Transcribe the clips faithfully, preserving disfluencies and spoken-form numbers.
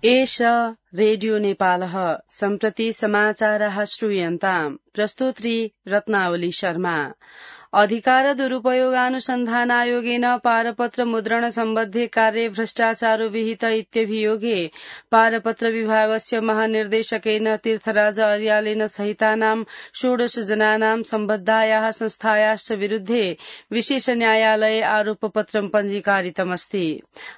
एष रेडियो नेपालः सम्प्रति समाचारः श्रूयन्ताम् प्रस्तुत्री रत्नावली शर्मा। अधिकार दुरुपयोगानुसन्धान आयोगेन पारपत्र मुद्रण सम्बद्धे कार्ये भ्रष्टाचारो विहित इत्यभियोगे पारपत्र विभागस्य महानिर्देशकेन तीर्थराज अर्यालेन सहितानां षोडश जनानां सम्बद्धायाः संस्थायाश्च विरुद्धे विशेष न्यायालये आरोपपत्रं पञ्जीकारितमस्ति।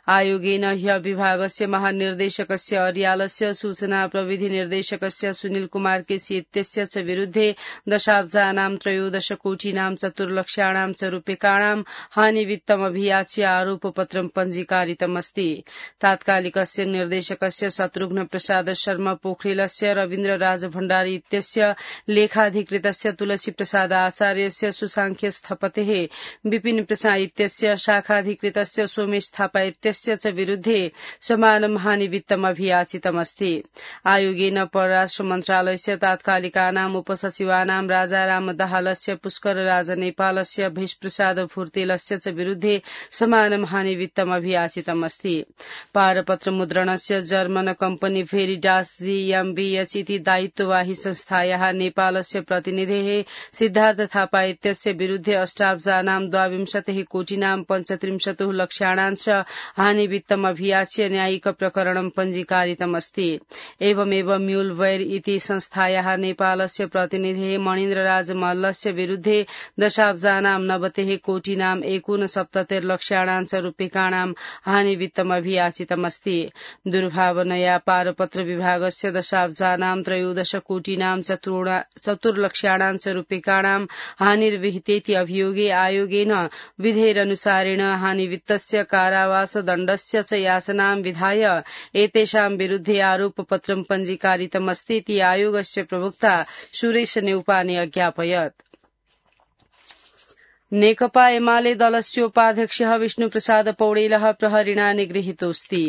आयोगेन ह्य विभागस्य महानिर्देशकस्य अर्यालस्य सूचना प्रविधि निर्देशकस्य सुनील कुमार केसी इत्यस्य च विरुद्धे दशाब्जानां त्रयोदश कोटिनां चतुर लक्ष्याणां च रूप्यकाणां हानिवित्तमभियाच्य आरोपपत्रं पञ्जीकारितमस्ति। तात्कालिकस्य निर्देशकस्य शत्रुघ्न प्रसाद शर्मा पोखरेलस्य रवीन्द्र राज भण्डारी इत्यस्य लेखाधिकृतस्य तुलसी प्रसाद आचार्यस्य सुसांख्य स्थपतेः विपिन प्रसाद इत्यस्य शाखाधिकृतस्य सोमेश थापा इत्यस्य च विरुद्धे समानं हानिवित्तमभियाचितमस्ति। आयोगेन परराष्ट्र मन्त्रालयस्य तात्कालिकानाम् उपसचिवानां राजाराम दाहालस्य पुष्कर राज नेपालस्य भेषप्रसाद फुर्तेलस्य च विरुद्धे समानं हानिवित्तमभियाचितमस्ति। पारपत्र मुद्रणस्य जर्मन कम्पनी भेरिडास जीएमबीएच इति दायित्ववाही संस्थायाः नेपालस्य प्रतिनिधेः सिद्धार्थ थापा इत्यस्य विरुद्धे अष्टाब्जानां द्वाविंशतिः कोटिनां पञ्चत्रिंशतुः लक्ष्याणांश हानिवित्तमभियाच्य न्यायिक प्रकरणं पञ्जीकारितमस्ति। एवमेव म्यूलवैर इति संस्थायाः नेपालस्य प्रतिनिधेः मणिन्द्रराज मल्लस्य विरुद्धे दशाब्जानां नवतिः कोटिनां एकोनसप्ततिर् लक्ष्याणांश रूप्यकाणां हानिवित्तमभियाचितमस्ति। दुर्भावनया पारपत्र विभागस्य दशाब्जानां त्रयोदश कोटिनां चतुर्लक्ष्याणांश रूप्यकाणां हानिर्विहितेति अभियोगे आयोगेन विधेरनुसारेण हानिवित्तस्य कारावास दण्डस्य च याचनां विधाय एतेषां विरुद्धे आरोपपत्रं पञ्जीकारितमस्तीति आयोगस्य प्रवक्ता सुरेश नेउपाने अज्ञापयत्। नेकपा एमाले दलस्योपाध्यक्षः विष्णुप्रसाद पौडेलः प्रहरिणा निगृहीतोऽस्ति।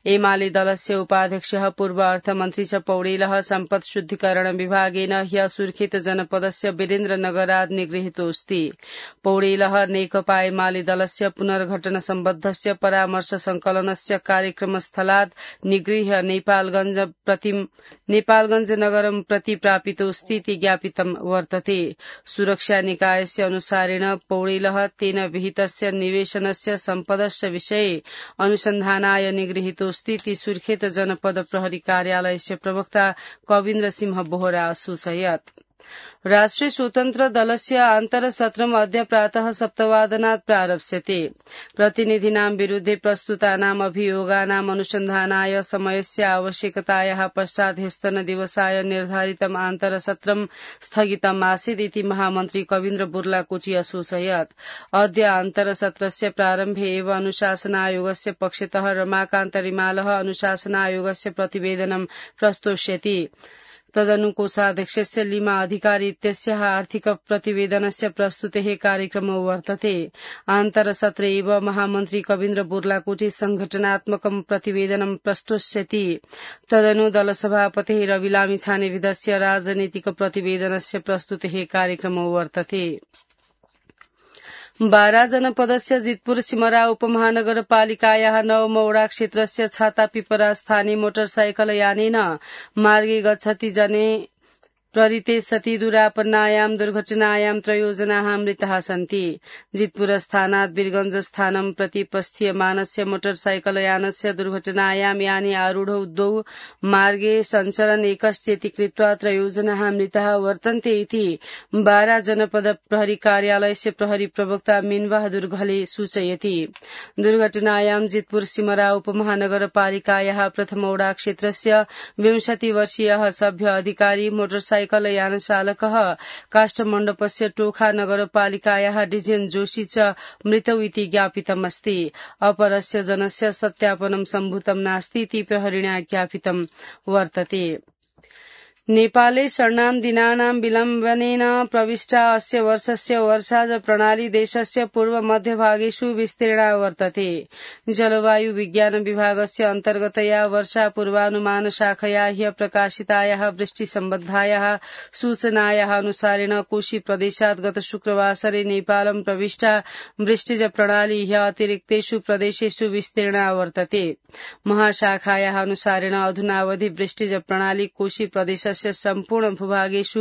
एमाले दलस्य उपाध्यक्षः पूर्व अर्थमन्त्री च पौडेलः सम्पत् शुद्धिकरण विभागेन ह्य सुर्खेत जनपदस्य वीरेन्द्रनगरात् निगृहीतोऽस्ति। पौडेलः नेकपा एमाले दलस्य पुनर्गठन सम्बद्धस्य परामर्श संकलनस्य कार्यक्रमस्थलात् निगृह्य नेपालगञ्ज प्रति नेपालगञ्ज नगरं प्रति प्रापितोऽस्तीति ज्ञापितं वर्तते। सुरक्षा निकायस्य अनुसारेण पौडेलः तेन विहितस्य निवेशनस्य सम्पदस्य विषये अनुसन्धानाय निगृहीतोऽस्तीति सुर्खेत जनपद प्रहरी कार्यालयस्य प्रवक्ता कविन्द्र सिंह बोहरा असूचयत्। राष्ट्रिय स्वतन्त्र दलस्य आन्तरसत्रम् अद्य प्रातः सप्तवादनात् प्रारप्स्यते। प्रतिनिधीनां विरुद्धे प्रस्तुतानाम् अभियोगानाम् अनुसन्धानाय समयस्य आवश्यकतायाः पश्चात् ह्यस्तनदिवसाय निर्धारितम् आन्तरसत्रम् स्थगितम् आसीत् इति महामन्त्री कविन्द्र बुर्लाकोटी असूचयत्। अद्य आन्तरसत्रस्य प्रारम्भे एव अनुशासनायोगस्य पक्षतः रमाकान्त रिमालः अनुशासनायोगस्य प्रतिवेदनं प्रस्तोष्यति। तदनु कोषाध्यक्षस्य लीमा अधिकारी इत्यस्याः आर्थिक प्रतिवेदनस्य प्रस्तुतेः कार्यक्रमो वर्तते। आन्तरसत्रे एव महामन्त्री कविन्द्र बुर्लाकोटी संघटनात्मकं प्रतिवेदनं प्रस्तोष्यति। तदनु दलसभापतिः रवि लामिछानेविधस्य राजनीतिक प्रतिवेदनस्य प्रस्तुतेः कार्यक्रमो वर्तते। बारा जनपदस्य जितपुर सिमरा उपमहानगरपालिकायाः नवमौडा क्षेत्रस्य छातापिपरा स्थाने मोटरसाइकल यानेन मार्गे गच्छति जने प्ररिते सति दुरापन्नायां दुर्घटनायां त्रयो जनाः मृताः सन्ति। जितपुर स्थानात् वीरगंज स्थानं प्रति प्रस्थीयमानस्य मोटरसाइकल यानस्य दुर्घटनायां याने आरूढौ द्वौ मार्गे सञ्चरन् एकश्चेति कृत्वा त्रयो जनाः मृताः वर्तन्ते इति बारा जनपद प्रहरी कार्यालयस्य प्रहरी प्रवक्ता मीनबहादुर घले सूचयति। दुर्घटनायां जितपुर सिमरा उपमहानगरपालिकायाः प्रथमौडा क्षेत्रस्य विंशति वर्षीयः सभ्य अधिकारी मोटरसाइकल साइकल यान चालकः काष्ठमण्डपस्य टोखा नगरपालिकायाः डिजेन जोशी च मृतौ इति ज्ञापितमस्ति। अपरस्य जनस्य सत्यापनं सम्भूतं नास्ति इति प्रहरिणा ज्ञापितं वर्तते। नेपाले षण्णां दिनानां विलम्बनेन प्रविष्टा अस्य वर्षस्य वर्षाज प्रणाली देशस्य पूर्व मध्यभागेषु विस्तीर्णा वर्तते। जलवायु विज्ञान विभागस्य अन्तर्गतया वर्षा पूर्वानुमान शाखया ह्य प्रकाशितायाः वृष्टिसम्बद्धायाः सूचनायाः अनुसारेण कोशी प्रदेशात् गत शुक्रवासरे नेपालं प्रविष्टा वृष्टिज प्रणाली ह्य अतिरिक्तेषु प्रदेशेषु विस्तीर्णा वर्तते। महाशाखायाः अनुसारेण अधुनावधि वृष्टिज प्रणाली कोशी प्रदेश सम्पूर्ण भूभागेषु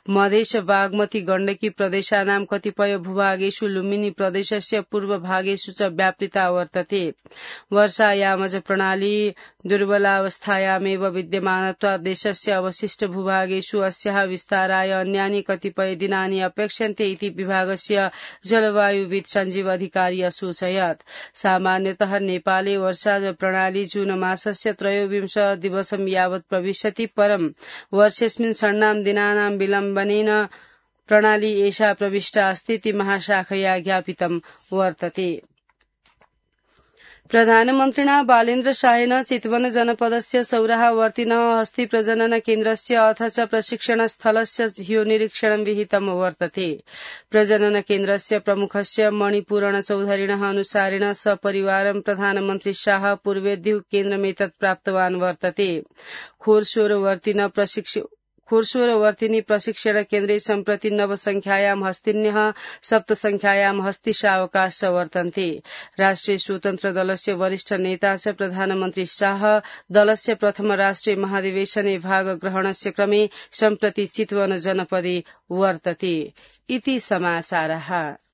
मधेश बागमती गण्डकी प्रदेशानां कतिपय भूभागेषु लुम्बिनी प्रदेशस्य पूर्व भागेषु च व्यापृता वर्तते। वर्षायामज प्रणाली दुर्बलावस्थायामेव विद्यमानत्वात् देशस्य अवशिष्ट भूभागेषु अस्याः विस्ताराय अन्यानि कतिपय दिनानि अपेक्ष्यन्ते इति विभागस्य जलवायुविद सञ्जीव अधिकारी असूचयत्। सामान्यतः नेपाले वर्षाज प्रणाली जून मासस्य त्रयोविंश दिवसं यावत् प्रविशति, परं वर्षेऽस्मिन् षण्णां दिनानां विलम्बनेन प्रणाली एषा प्रविष्टा अस्ति इति महाशाखया ज्ञापितं वर्तते। प्रधानमन्त्रिणा बालेन्द्र शाहेन चितवन जनपदस्य सौराहावर्तिनः हस्ति प्रजनन केन्द्रस्य अथ च प्रशिक्षणस्थलस्य ह्यो निरीक्षणं विहितं वर्तते। प्रजनन केन्द्रस्य प्रमुखस्य मणिपूरण चौधरिणः अनुसारेण सपरिवारं प्रधानमन्त्री शाह पूर्वेद्युः केन्द्रमेतत् प्राप्तवान् वर्तते। खोरसोरवर्तिन प्रशिक्ष खोरसोरवर्तिनी प्रशिक्षण केन्द्रे सम्प्रति नवसंख्यायां हस्तिन्यः सप्तसंख्यायां हस्तिशावकाश वर्तन्ते। राष्ट्रिय स्वतन्त्र दलस्य वरिष्ठ नेता च प्रधानमन्त्री शाह दलस्य प्रथम राष्ट्रिय महाधिवेशने भागग्रहणस्य क्रमे सम्प्रति चितवन जनपदे वर्तते। इति समाचारः।